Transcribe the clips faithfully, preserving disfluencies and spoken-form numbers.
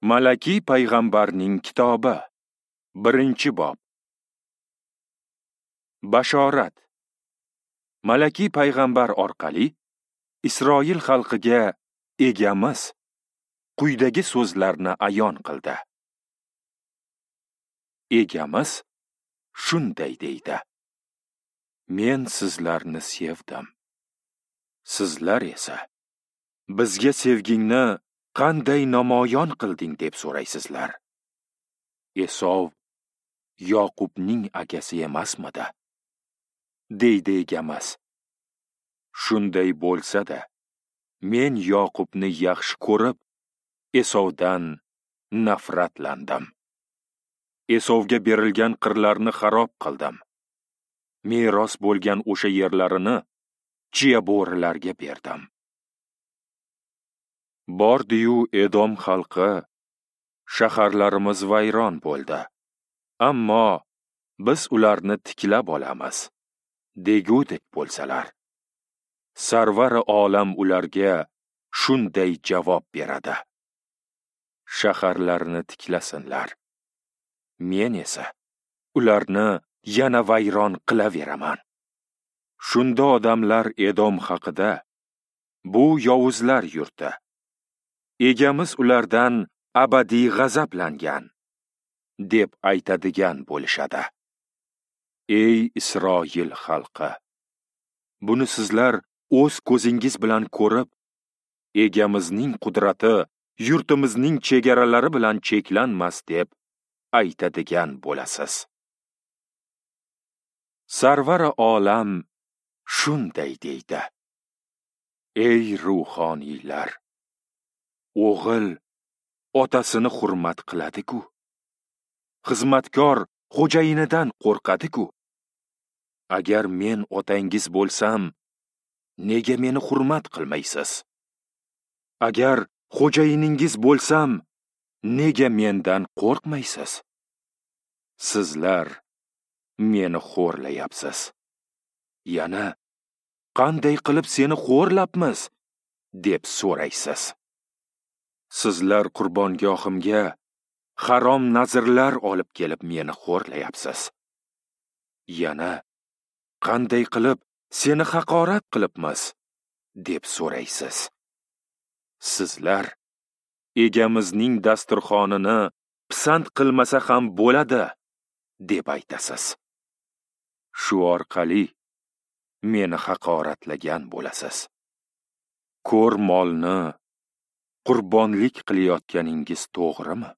Malaki payg'ambarning kitobi, birinchi bob. Bashorat. Malaki payg'ambar orqali Isroil xalqiga Egamiz quyidagi so'zlarni ayon qildi. Egamiz shunday deydi: Men sizlarni sevdim. Sizlar esa bizga sevgingni qanday namoyon qilding deb so'raysizlar. Esov Yoqubning akasi emasmidi? Deydi Egamiz. Shunday bo'lsa-da, men Yoqubni yaxshi ko'rib, Esovdan nafratlandim. Esovga berilgan qirlarni xarob qildim. Meros bo'lgan o'sha yerlarini chiya bo'rilarga berdim. Bordi-yu Edom xalqi, shaharlarimiz vayron bo'ldi, ammo biz ularni tiklab olamiz, degudek bo'lsalar. Sarvari olam ularga shunday javob beradi: Shaharlarni tiklasinlar. Men esa ularni yana vayron qilaveraman. Shunda odamlar Edom haqida: bu yovuzlar yurti, Egamiz ulardan abadiy g'azablangan, deb aytadigan bo'lishadi. Ey Isroil xalqi, buni sizlar o'z ko'zingiz bilan ko'rib, Egamizning qudrati yurtimizning chegaralari bilan cheklanmas deb aytadigan bo'lasiz. Sarvari olam shunday deydi: Ey ruhoniylar, o'g'il otasini hurmat qiladi-ku, xizmatkor xo'jayinidan qo'rqadi-ku. Agar men otangiz bo'lsam, nega meni hurmat qilmaysiz? Agar xo'jayiningiz bo'lsam, nega mendan qo'rqmaysiz? Sizlar meni xo'rlayapsiz. Yana qanday qilib seni xo'rlabmiz deb so'raysiz. Sizlar qurbongohimga harom nazrlar olib kelib meni xo'rlayapsiz. Yana qanday qilib seni haqorat qilibmiz deb so'raysiz. Sizlar Egamizning dasturxonini pisand qilmasa ham bo'ladi deb aytasiz. Shu orqali meni haqoratlagan bo'lasiz. Ko'r molni qurbonlik qilayotganingiz to'g'rimi?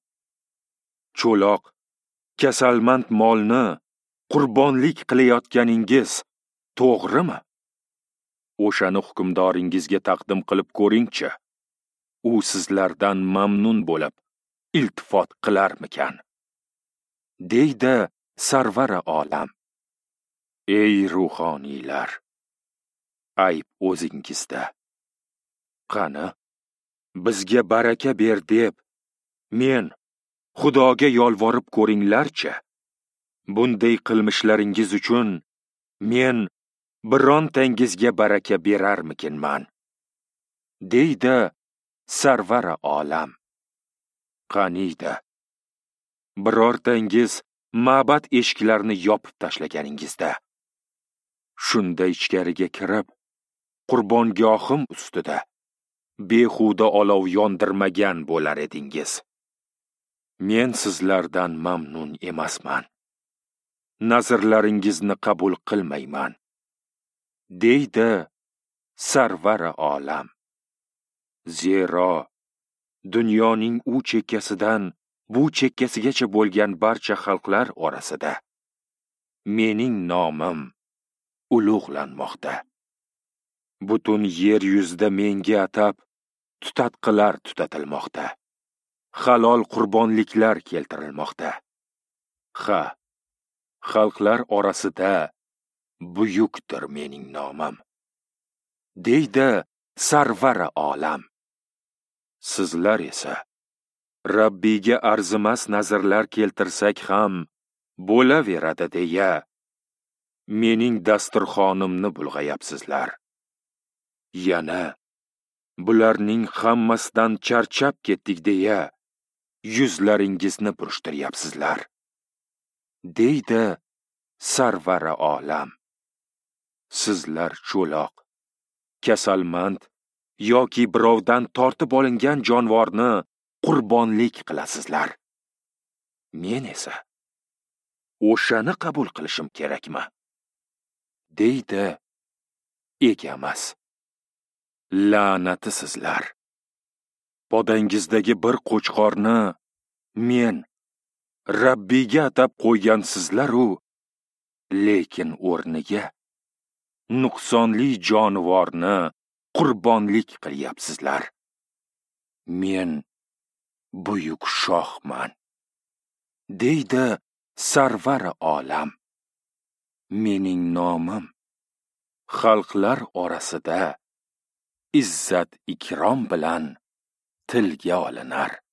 Cho'loq, kasalmand molni qurbonlik qilayotganingiz to'g'rimi? O'shani hukmdoringizga taqdim qilib ko'ringchi. U sizlardan mamnun bo'lib, iltifot qilarmikan? Deydi Sarvari olam. Ey ruhoniylar, ayb o'zingizda. Qani, bizga baraka ber deb men Xudoga yolvorib ko'ringlarchi. Bunday qilmishlaringiz uchun men birontangizga baraka berarmikinman? Deydi Sarvari olam. Qaniydi, birortangiz ma'bad eshiklarini yopib tashlaganingizda, shunda ichkariga kirib, qurbongohim ustida behuda olov yondirmagan bo'lar edingiz. Men sizlardan mamnun emasman. Nazrlaringizni qabul qilmayman, deydi Sarvari olam. Zero dunyoning u chekkasidan bu chekkasigacha bo'lgan barcha xalqlar orasida mening nomim ulug'lanmoqda. Butun yer yuzida menga atab tutatqilar tutatilmoqda. Halol qurbonliklar keltirilmoqda. Ha, xalqlar orasida buyukdir mening nomim, deydi Sarvari olam. Sizlar esa Rabbiyga arzimas nazrlar keltirsak ham bo'laveradi deya mening dasturxonimni bulg'ayapsizlar. Yana bularning hammasidan charchab ketdik deya yuzlaringizni burishtiryapsizlar, deydi Sarvari olam. Sizlar cho'loq, kasalmand yoki birovdan tortib olingan jonivorni qurbonlik qilasizlar. Men esa o'shani qabul qilishim kerakmi? Deydi Egamiz. La'nati sizlar! Podangizdagi bir qo'chqorni men Rabbiyga atab qo'ygansizlar-u, lekin o'rniga nuqsonli jonivorni qurbonlik qilyapsizlar. Men buyuk shohman, deydi Sarvari olam. Mening nomim xalqlar orasida izzat ikrom bilan tilga olinar.